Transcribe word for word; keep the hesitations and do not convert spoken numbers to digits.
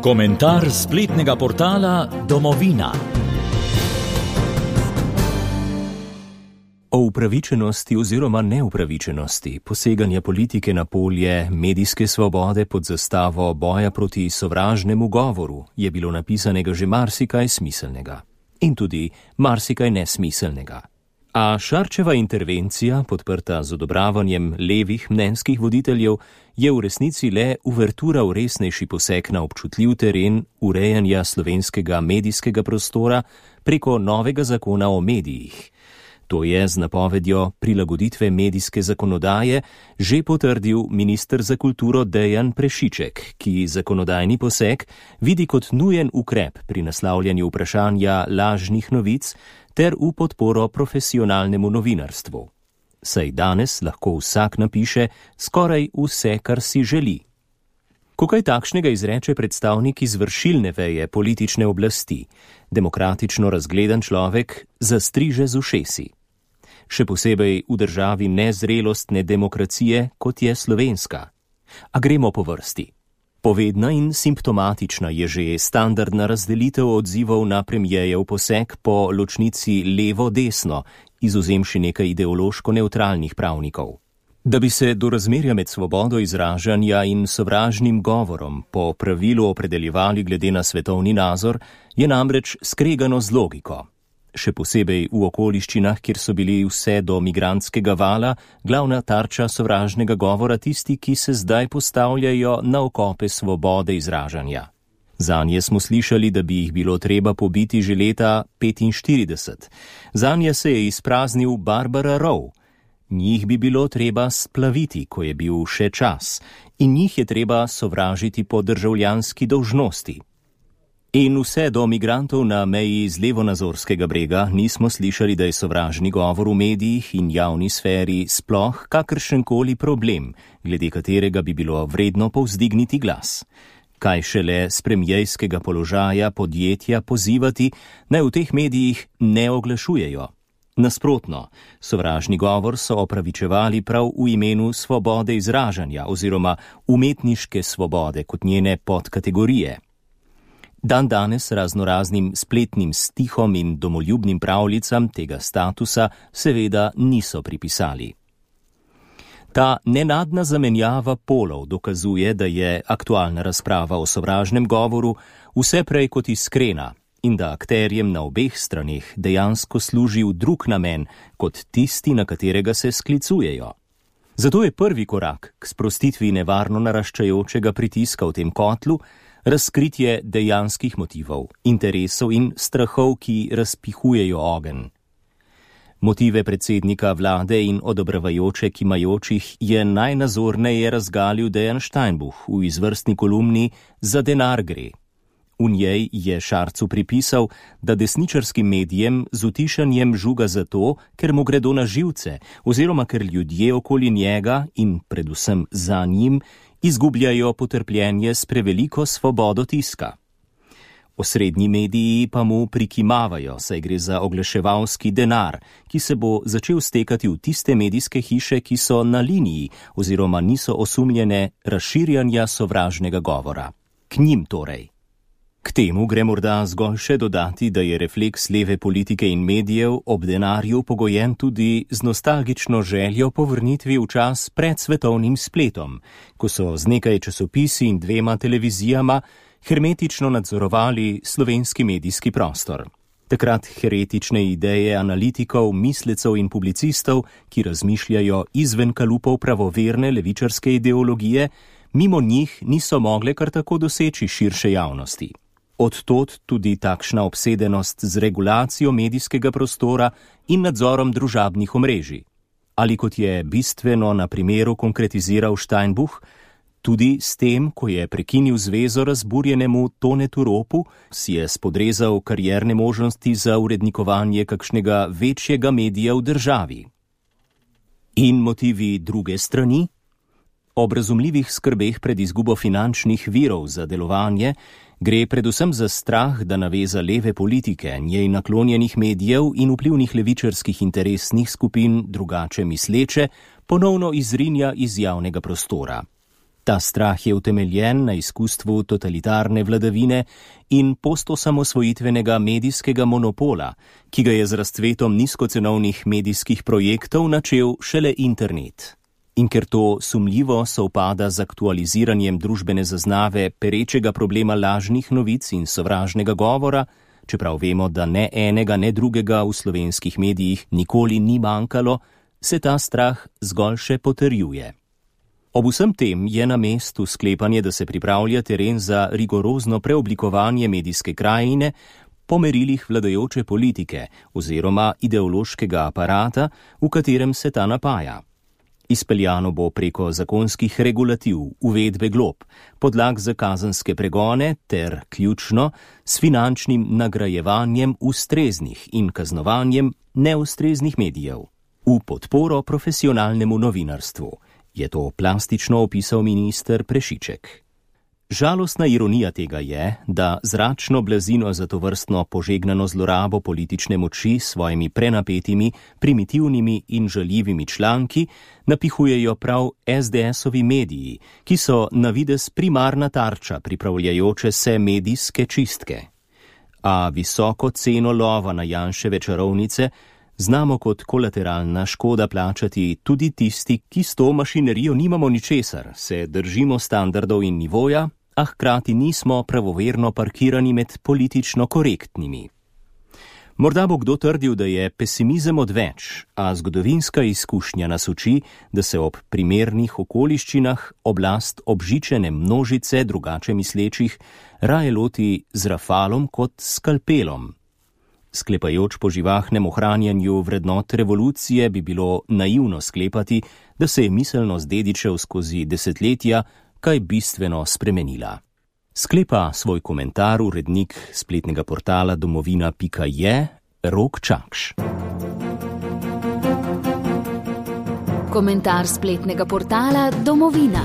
Komentar spletnega portala Domovina. O upravičenosti oziroma neupravičenosti poseganja politike na polje medijske svobode pod zastavo boja proti sovražnemu govoru je bilo napisanega že marsikaj smiselnega in tudi marsikaj nesmiselnega. A Šarčeva intervencija, podprta z odobravanjem levih mnenjskih voditeljev, je v resnici le uvertura v resnejši poseg na občutljiv teren urejanja slovenskega medijskega prostora preko novega zakona o medijih. To je z napovedjo prilagoditve medijske zakonodaje že potrdil minister za kulturo Dejan Prešiček, ki zakonodajni poseg vidi kot nujen ukrep pri naslavljanju vprašanja lažnih novic ter v podporo profesionalnemu novinarstvu. Saj danes lahko vsak napiše skoraj vse, kar si želi. Ko kaj takšnega izreče predstavnik izvršilne veje politične oblasti, demokratično razgledan človek zastriže z ušesi. Še posebej v državi nezrelostne demokracije, kot je slovenska. A gremo po vrsti. Povedna in simptomatična je že standardna razdelitev odzivov na premijejev poseg po ločnici levo-desno, izvzemši nekaj ideološko nevtralnih pravnikov. Da bi se do razmerja med svobodo izražanja in sovražnim govorom po pravilu opredeljevali glede na svetovni nazor, je namreč skregano z logiko. Še posebej v okoliščinah, kjer so bili vse do migrantskega vala glavna tarča sovražnega govora tisti, ki se zdaj postavljajo na okope svobode izražanja. Zanje smo slišali, da bi jih bilo treba pobiti že leta petinštirideset. Zanje se je izpraznil Barbara Rowe. Njih bi bilo treba splaviti, ko je bil še čas, in njih je treba sovražiti po državljanski dolžnosti. In vse do migrantov na meji z levonazorskega brega nismo slišali, da je sovražni govor v medijih in javni sferi sploh kakršenkoli problem, glede katerega bi bilo vredno povzdigniti glas. Kaj šele s premijejskega položaja podjetja pozivati, naj v teh medijih ne oglašujejo. Nasprotno, sovražni govor so opravičevali prav v imenu svobode izražanja oziroma umetniške svobode kot njene podkategorije. Dan danes raznoraznim spletnim stihom in domoljubnim pravljicam tega statusa seveda niso pripisali. Ta nenadna zamenjava polov dokazuje, da je aktualna razprava o sovražnem govoru vse prej kot iskrena in da akterjem na obeh straneh dejansko služi v drug namen kot tisti, na katerega se sklicujejo. Zato je prvi korak k sprostitvi nevarno naraščajočega pritiska v tem kotlu razkritje dejanskih motivov, interesov in strahov, ki razpihujejo ogenj. Motive predsednika vlade in odobravajoče kimajočih je najnazorneje razgalil Dejan Steinbuch v izvrstni kolumni Za denar gre. V njej je Šarcu pripisal, da desničarskim medijem z utišanjem žuga zato, ker mu gredo na živce, oziroma ker ljudje okoli njega in predvsem za njim izgubljajo potrpljenje s preveliko svobodo tiska. Osrednji mediji pa mu prikimavajo, saj gre za oglaševalski denar, ki se bo začel stekati v tiste medijske hiše, ki so na liniji oziroma niso osumljene razširjanja sovražnega govora. K njim torej. K temu gre morda zgolj še dodati, da je refleks leve politike in medijev ob denarju pogojen tudi z nostalgično željo po vrnitvi v čas pred svetovnim spletom, ko so z nekaj časopisi in dvema televizijama hermetično nadzorovali slovenski medijski prostor. Takrat heretične ideje analitikov, mislecev in publicistov, ki razmišljajo izven kalupov pravoverne levičarske ideologije, mimo njih niso mogle kar tako doseči širše javnosti. Odtod tudi takšna obsedenost z regulacijo medijskega prostora in nadzorom družabnih omrežij. Ali kot je bistveno na primeru konkretiziral Steinbuch, tudi s tem, ko je prekinil zvezo razburjenemu Tonetu Ropu, si je spodrezal karierne možnosti za urednikovanje kakšnega večjega medija v državi. In motivi druge strani? Ob razumljivih skrbeh pred izgubo finančnih virov za delovanje gre predvsem za strah, da naveza leve politike, njej naklonjenih medijev in vplivnih levičarskih interesnih skupin drugače misleče ponovno izrinja iz javnega prostora. Ta strah je utemeljen na izkustvu totalitarne vladavine in postosamosvojitvenega medijskega monopola, ki ga je z razcvetom nizkocenovnih medijskih projektov načel šele internet. In ker to sumljivo sovpada z aktualiziranjem družbene zaznave perečega problema lažnih novic in sovražnega govora, čeprav vemo, da ne enega, ne drugega v slovenskih medijih nikoli ni manjkalo, se ta strah zgolj še potrjuje. Ob vsem tem je na mestu sklepanje, da se pripravlja teren za rigorozno preoblikovanje medijske krajine po merilih vladajoče politike oziroma ideološkega aparata, v katerem se ta napaja. Izpeljano bo preko zakonskih regulativ, uvedbe glob, podlag za kazenske pregone ter, ključno, s finančnim nagrajevanjem ustreznih in kaznovanjem neustreznih medijev. V podporo profesionalnemu novinarstvu, je to plastično opisal minister Prešiček. Žalostna ironija tega je, da zračno blazino za tovrstno požegnano zlorabo politične moči s svojimi prenapetimi, primitivnimi in žaljivimi članki napihujejo prav es de esovi mediji, ki so na videz primarna tarča pripravljajoče se medijske čistke. A visoko ceno lova na Janševe čarovnice znamo kot kolateralna škoda plačati tudi tisti, ki s to mašinerijo nimamo ničesar, se držimo standardov in nivoja, a hkrati nismo pravoverno parkirani med politično korektnimi. Morda bo kdo trdil, da je pesimizem odveč, a zgodovinska izkušnja nas uči, da se ob primernih okoliščinah oblast obžičene množice drugače mislečih raje loti z rafalom kot skalpelom. Sklepajoč po živahnem ohranjanju vrednot revolucije bi bilo naivno sklepati, da se je miselnost dedičev skozi desetletja kaj bistveno spremenila. Sklepa svoj komentar urednik spletnega portala domovina pika je Rok Čakš. Komentar spletnega portala Domovina.